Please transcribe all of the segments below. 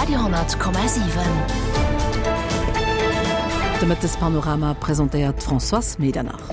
Radio 10,7. De Mëttespanorama presentéiert d'Françoise Medernach.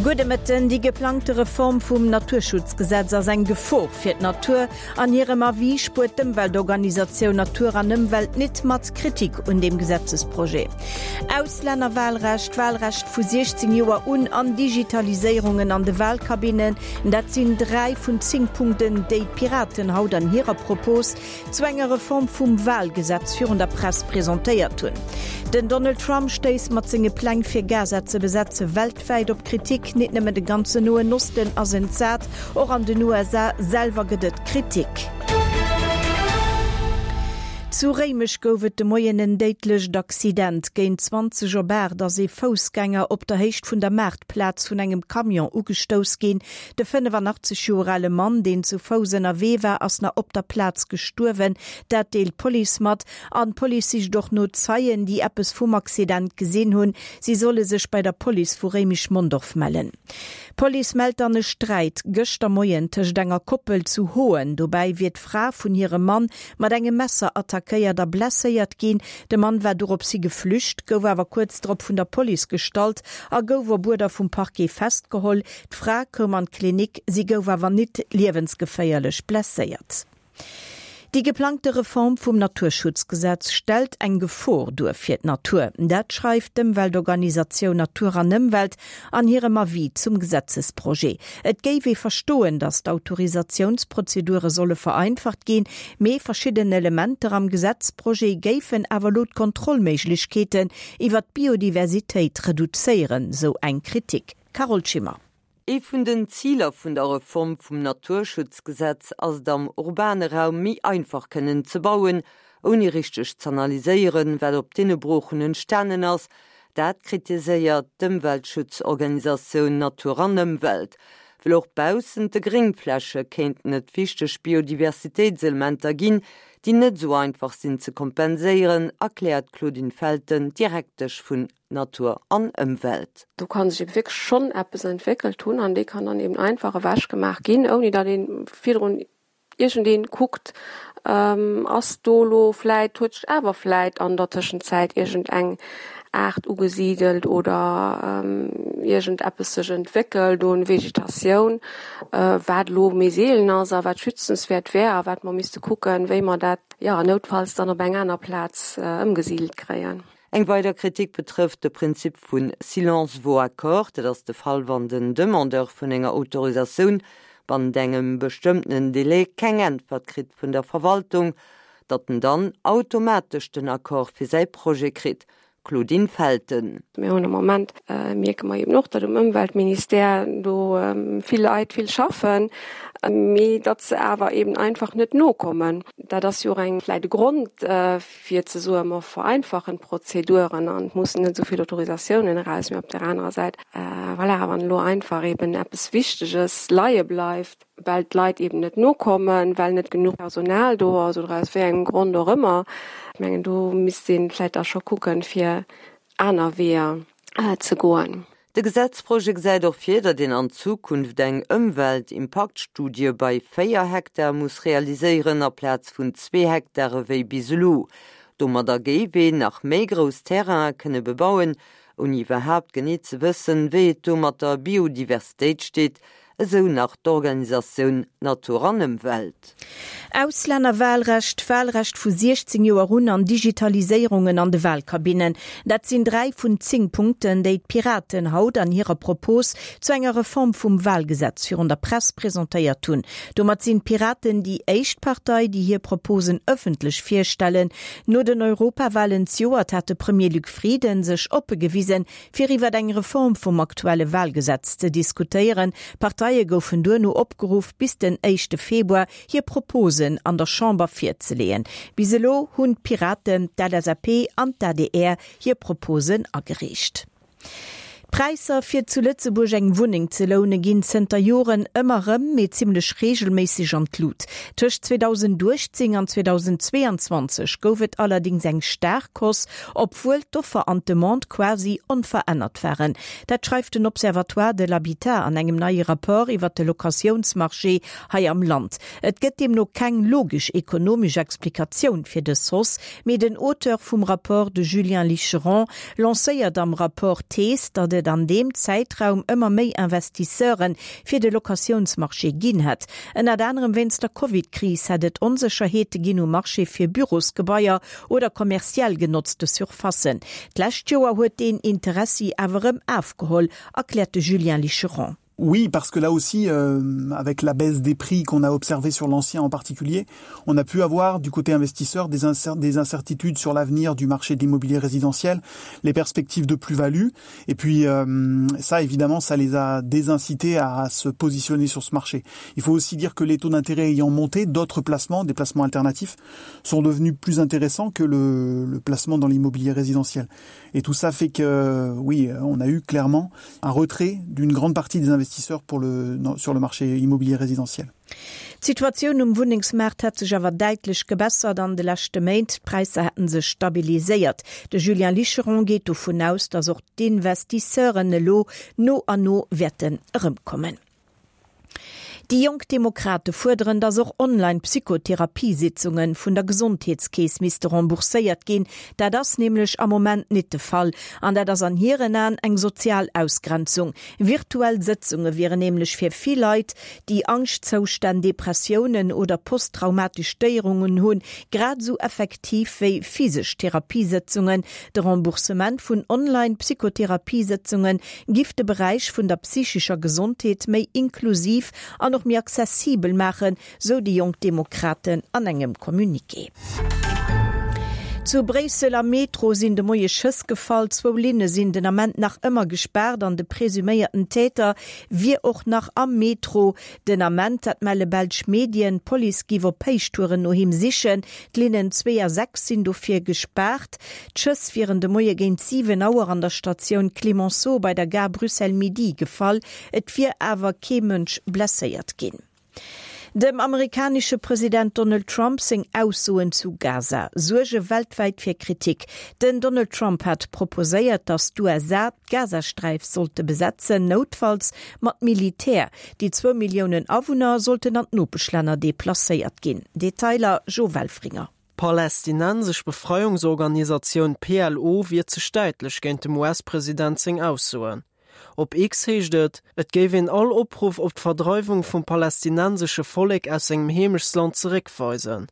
Gudde Mëtten. Déi geplangte Reform vum Naturschutzgesetz ass eng Gefor fir d'Natur. An hirem Avis spuert d'Ëmweltorganisatioun Natur an Ëmwelt nit mat Kritik un deem Gesetzesprojet. Auslännerwahlrecht, Wahlrecht vu 16 Joer un an Digitaliséierungen an de Wahlkabinnen, dat sinn 3 vun 10 Punkten, déi d'Piraten haut an hirer Propos zu enger Reform vum Wahlgesetz virun der Press presentéiert hunn. Den Donald Trump stéisst mat senge Pläng fir Gaza ze besetze weltwäit op Kritik. Nit nëmmen de ganzen Noen Osten ass entsat, Och an den USA selwer gëtt et Kritik. Zu Réimech gouf et de Moien en déidlecht Accident. Géint 20 op 8 ass ee Foussgänger op der Héicht vun der Maartplaz vun engem Camion ugestouss ginn. De 85 Joer ale Mann, deen zu Fouss ënnerwee war, ass nach op der Plaz gestuerwen. Dat deelt d'Police mat. An d'Police sicht och no Zeien, déi eppes vum Accident gesinn hunn. Si solle sech bei der Police vu Réimech-Mondorf mellen. D'Police mellt dann e Sträit gëschter Moien tëscht enger Koppel zu Hoen. Dobäi wier d'Fra vun hirem Mann mat engem Messer attackéiert a blesséiert ginn. De Mann war dorops hi geflücht, gouf awer kuerz drop vun der Police gestallt a gouf op Uerder vum Parquet festgeholl. D'Fra koum an d'Klinik, si gouf awer nit liewensgeféierlech blesséiert. Déi geplangte Reform vum Naturschutzgesetz stellt eng Gefor duer fir d'Natur. Dat schreift d'Ëmweltorganisatioun Natur an Ëmwelt an hirem Avis zum Gesetzesprojet. Et géif ee verstoen, datt d'Autorisatiounsprozedure solle vereinfacht ginn, mee verschidden Elementer am Gesetzprojet géifen awer elo d'Kontrollméiglechkeeten iwwer d'Biodiversitéit reduzéieren, sou eng Kritik. Carole Schimmer. Ee vun den Ziler vun der Reform vum Naturschutzgesetz ass et am urbane Raum méi einfach kënnen ze bauen, ouni richteg z'analyséieren, wat op deene Broochen entstanen ass. Dat kritiséiert d'Ëmweltschutzorganisatioun Natur an Ëmwelt. Well och baussent de Gréngfläche kéinten et wichteg Biodiversitéitselementer ginn, déi net esou einfach sinn ze kompenséieren, erkläert d'Claudine Felten, Direktesch vun Natur an Ëmwelt. Do kann sech eben wierklech schonn eppes entwéckelt hunn an dee kann dann eben einfach ewech gemaach ginn, ouni datt ee virdrun iergendee kuckt, ass do elo vläit, huet sech awer vläit an der Tëschenzäit iergend eng Aart ugesidelt oder iergend eppes sech entwéckelt un Vegetatioun, wat elo méi seelen ass a wat schützenswäert wär a wat mer misste kucken, wéi mer dat, jo, noutfalls dann op eng aner Plaz ëmgesidelt kréien. Eng weider Kritik betrëfft de Prinzip vu silence vaut accord. Dat ass de Fall, wann den Demandeur vun enger Autorisatioun bannent engem bestëmmtenen Délai keng Äntwert kritt vun der Verwaltung, datt en dann automatesch den Accord fir säi Projet kritt. Claudine Felten. Mir hunn am Moment, mierke mer eben och, datt um Ëmweltministère do vill Leit vill schaffen, mee datt se awer eben einfach net nokommen. Dat ass jo och eng vläicht e Grond, fir ze soen, mer vereinfachen d'Prozeduren an et mussen net esou vill Autorisatiounen eraus. Mee op där anerer Säit, voilà, wann elo einfach eben eppes Wichteges leie bleift, well d'Leit eben net nokommen, well net genuch Personal do ass oder aus wéi engem Grond och ëmmer, ech mengen, do misst ee vläicht da scho kucken, fir aner Weeër ze goen. De Gesetzprojet gesäit och vir, datt een an Zukunft eng Ëmweltimpaktstudie bei 4 Hektar muss realiséieren, aplaz vun zwee Hektare wéi bis elo. Domadder géif een nach méi grouss Terraine kënne bebauen, ouni iwwerhaapt genee ze wëssen, wéi et do mat der Biodiversitéit steet, esou nach d'Organisatioun Natur an Ëmwelt. Auslännerwahlrecht, Wahlrecht vu 16 Joer un an Digitaliséierungen an de Wahlkabinnen, dat sinn 3 vun 10 Punkten, déi d'Piraten haut an hirer Propos zu enger Reform vum Wahlgesetz virun der Press presentéiert hunn. Domat sinn d'Piraten déi éischt Partei, déi hir Proposen ëffentlech virstellen. No den Europawahlen zejoert hat de Premier Luc Frieden sech oppe gewisen, fir iwwer eng Reform vum aktuelle Wahlgesetz ze diskutéieren. D'Parteie goufen duerno opgeruff, bis den éischte Februar hir Proposen an der Chamber virzeleeën. Bis elo hunn d'Piraten, d'LSAP an d'ADR hir Proposen agereecht. D'Präisser fir zu Lëtzebuerg eng Wunneng ze loune ginn zënter Joren ëmmer rëm, mee zimmlech reegelméisseg an d'Lut. Tëscht 2018 an 2022 gouf et allerdéngs eng staark Hausse, obwuel d'Offer an d'Demande quasi onverännert waren. Dat schreift den Observatoire de l'habitat an engem neie Rapport iwwer de Locatiounsmarché hei am Land. Et gëtt deemno keng logesch ekonomesch Explikatioun fir dës Hausse, mee den Auteur vum Rapport, de Julien Licheron, lancéiert am Rapport d'Thees, datt et an deem Zäitraum ëmmer méi Investisseure fir de Locatiounsmarché ginn hätt. Ënnert anerem wéinst der Covid-Kris hätt et Onsécherheete ginn um Marché fir Bürosgebaier oder kommerziell genotzte Surfacen. D'lescht Joer huet deen Interessi awer erëm afgeholl, erkläert de Julien Licheron. Oui, parce que là aussi euh, avec la baisse des prix qu'on a observé sur l'ancien en particulier, on a pu avoir du côté investisseur des, incer des incertitudes sur l'avenir du marché de l'immobilier résidentiel, les perspectives de plus-value et puis euh, ça évidemment ça les a désincités à se positionner sur ce marché. Il faut aussi dire que les taux d'intérêt ayant monté, d'autres placements, des placements alternatifs sont devenus plus intéressants que le, le placement dans l'immobilier résidentiel. Et tout ça fait que oui, on a eu clairement un retrait d'une grande partie des investisseurs pour le, sur le marché immobilier résidentiel. D'Situatioun um Wunnengsmaart hätt sech awer däitlech gebessert an de leschte Méint. D'Präisser hätte sech stabiliséiert. De Julien Licheron geet dovun aus, datt och d'Investisseuren elo no an no wäerten erëmkommen. Déi Jonk Demokrate fuerderen, datt och Online-Psychotherapiesitzunge vun der Gesondheetskeess misste rembourséiert ginn. Dat ass nämlech am Moment nit de Fall an dat ass an hiren Aen eng sozial Ausgrenzung. Virtuell Sëtzunge wieren nämlech fir vill Leit, déi Angschtzoustänn, Depressiounen oder posttraumatesch Stéierungen hunn, grad esou effektiv wéi physesch Therapiesëtzungen. De Remboursement vun Online-Psychotherapiesëtzunge giff de Beräich vun der psychescher Gesondheet méi inklusiv an och méi accessibel maachen, sou déi Jonk Demokraten an engem Communiqué. Zu Bréissel am Metro sinn de Moie Schëss gefall. Zwou Linne sinn den Ament nach ëmmer gespaart an de presuméierten Täter wier och nach am Metro den Ament. Dat melle belsch Medien. D'Police giff op Héichtouren no him sichen. D'Linnen 2 a 6 sinn dofir gespaart. D'Schëss wieren de Moie géint 7 Auer an der Statioun Clemenceau bei der Gare Bruxelles-Midi gefall. Et wier awer kee Mënsch blesséiert ginn. Dem amerikanesche President Donald Trump seng Aussoen zu Gaza suerge weltwäit fir Kritik. Den Donald Trump hat proposéiert, datt d'USA d'Gazasträif sollte besetzen, noutfalls mat Militär. Déi zwou Milliounen Awunner sollten an d'Nopeschlänner deplacéiert ginn. Detailer Jo Welfringer. D'palästinensesch Befreiungsorganisatioun PLO wiert sech däitlech géint dem US-President seng Aussoen. Op X heescht et, et géif een all Opruff op d'Verdreiwung vum palästinensesche Vollek aus sengem Heemechtsland zeréckweisen.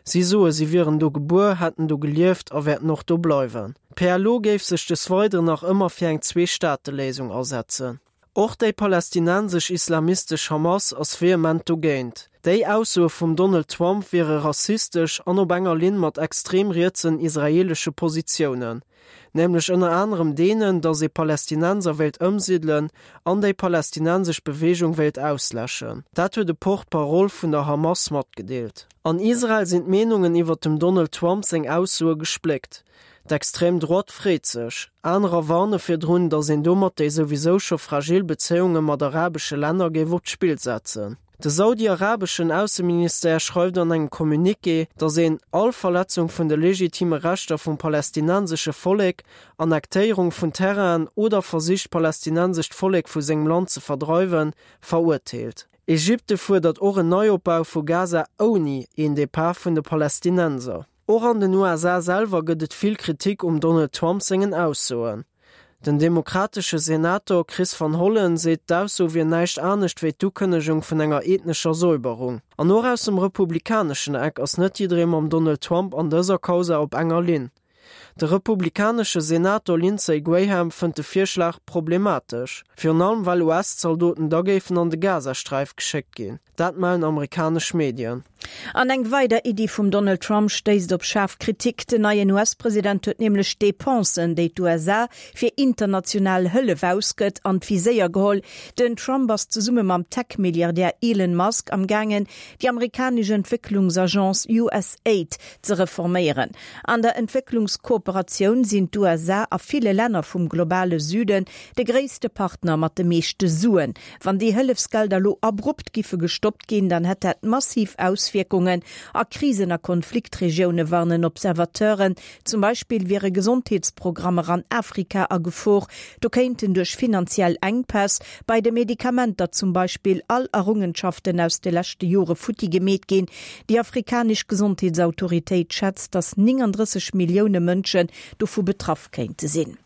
Si soe si wieren do gebuer, hätten do gelieft a wäerten och do bleiwen. D'PLO géif sech des Weideren nach ëmmer fir eng Zwee-Staate-Léisung asetzen. Och déi palästinensesch islamistesch Hamas ass vehement dogéint. Déi Aussoe vum Donald Trump wiere rassistesch an op enger Linn mat extrem rietsen israeelesche Positiounen. Nämlech ënner anerem deenen, datt ee Palästinenser wéilt ëmsidelen an déi palästinensesch Beweegung wéilt ausläschen. Dat huet e Porte-parole vun der Hamas matgedeelt. An Israel sinn d'Meenungen iwwer dem Donald Trump seng Aussoe gespléckt. D'Extrême Droite freet sech. Anerer warne virdrun, datt een domat déi souwisou scho fragil Bezéiunge mat arabesche Länner géif op d'Spill setzen. De saudi-arabeschen Ausseministère schreift an engem Communiqué, datt een all Verletzung vun de legitime Rechter vum palästinensesche Vollek, Annektéierung vun Terrainen oder Versich d'palästinensescht Vollek vu sengem Land ze verdreiwen, verurteelt. Ägypte fuerdert och en Neiopbau vu Gaza ouni een Depart vun de Palästinenser. Och an den USA selwer gëtt et vill Kritik um Donald Trump sengen Aussoen. Den demokratesche Senator Chris Van Hollen seet, d'Ausso wier näischt anescht wéi d'Ukënnegung vun enger ethnescher Säuberung. An och aus dem republikaneschen Eck ass net jidderee mam Donald Trump an dëser Causa op enger Linn. De republikanesche Senator Lindsey Graham fënnt de Virschlag problematesch, virun allem well US-Zaldoten da géifen an de Gazasträif geschéckt ginn. Dat mellen amerikanesch Medien. An eng weider Iddi vum Donald Trump stéisst op schaarf Kritik. Den neien US-President huet nämlech d'Depensen, déi d'USA fir international Hëllef ausgëtt, an d'Viséier geholl. Den Trump ass zesumme mam Tech-Milliardär Elon Musk am gaangen, déi amerikanesch Entwécklungsagence USAID ze reforméieren. An der Entwécklungskooperatioun sinn d'USA a ville Länner vum globale Süden de gréisste Partner mat de meeschte Suen. Wann déi Hëllefsgelder elo abrupt giffe gestoppt ginn, dann hätt dat massiv Auswierkungen a Krisen a Konfliktregioune, warnen Observateuren. Zum Beispill wiere Gesondheetsprogrammer an Afrika a Gefor. Do kéinten duerch finanziell Enkpäss bei de Medikamenter zum Beispill all Errungenschaften aus de leschte Jore futti gemeet ginn. Déi afrikanesch Gesondheetsautoritéit schätzt, datt 39 Millioune Mënschen dovu betraff kéinte sinn.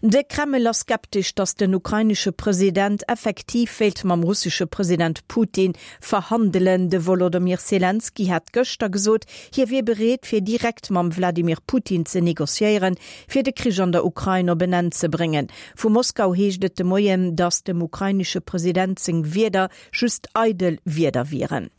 De Kreml ass skeptesch, datt den ukrainesche President effektiv wéilt mam russesche President Putin verhandelen. De Wolodymyr Selenskyj hat gëschter gesot, hie wier bereet, fir direkt mam Wladimir Putin ze negociéieren, fir de Krich an der Ukrain op en Enn ze bréngen. Vu Moskau heescht et de Moien, datt dem ukrainesche President seng Wierder just eidel Wierder wieren.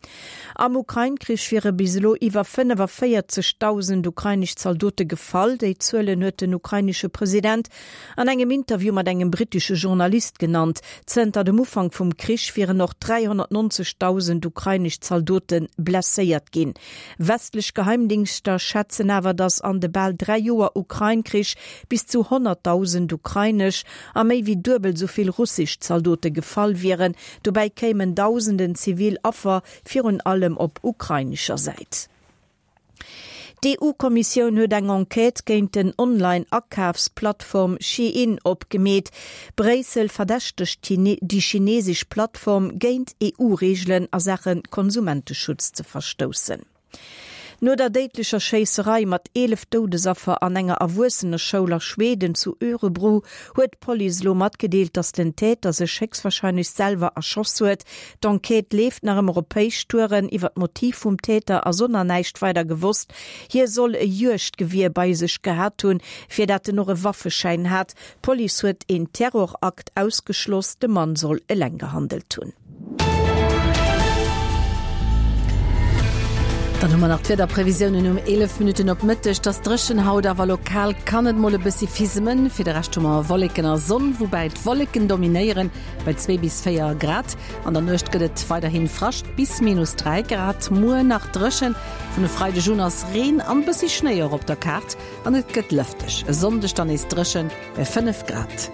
Am Ukrain-Krich wiere bis elo iwwer 45.000 ukrainesch Zaldote gefall. Déi Zuelen huet den ukrainesche President an engem Interview mat engem brittesche Journalist genannt. Zënter dem Ufank vum Krich wieren och 390.000 ukrainesch Zaldote blesséiert ginn. Westlech Geheimdingschter schätzen awer, datt an de bal 3 Joer Ukrain-Krich bis zu 100.000 ukrainesch a méi wéi duebel esou vill russesch Zaldote gefall wieren. Dobäi kéimen dausenden zivil Affer, virun allem op ukrainescher Säit. D'EU-Kommissioun huet eng Enquête géint den Online-Akafsplattform Shein opgemeet. Bréissel verdächtegt déi chinesesch Plattform, géint EU-Reegelen a Saache Konsumenteschutz ze verstoussen. No der déidlecher Schéisserei mat 11 Doudesaffer an enger Erwuesseneschoul a Schweden zu Örebro huet d'Police elo matgedeelt, datt den Täter sech héchstwarscheinlech selwer erschoss huet. D'Enquête leeft nach ëmmer op Héichtouren. Iwwer d'Motiv vum Täter ass och nach näischt weider gewosst. Hie soll e Juegdgewier bei sech gehat hunn, fir dat en och e Waffeschäin hat. D'Police huet een Terrorakt ausgeschloss, de Mann soll eleng gehandelt hunn. Dann hu mer nach d'Wiederprevisiounen um 11 Minutten op Mëtteg. Et ass dréchen haut, awer lokal kann et mol e bëssi fisemen. Fir de Rescht hu mer Wolleken a Sonn, woubäi d'Wolleken dominéieren, bei 2 bis 4 Grad. An der Nuecht gëtt et weiderhi Frascht bis minus 3 Grad. Muer nach dréchen, vun e Freideg un ass Reen an bëssi Schnéi och op der Kaart an et gëtt lëfteg. E Sonndeg dann nees dréchen bei 5 Grad.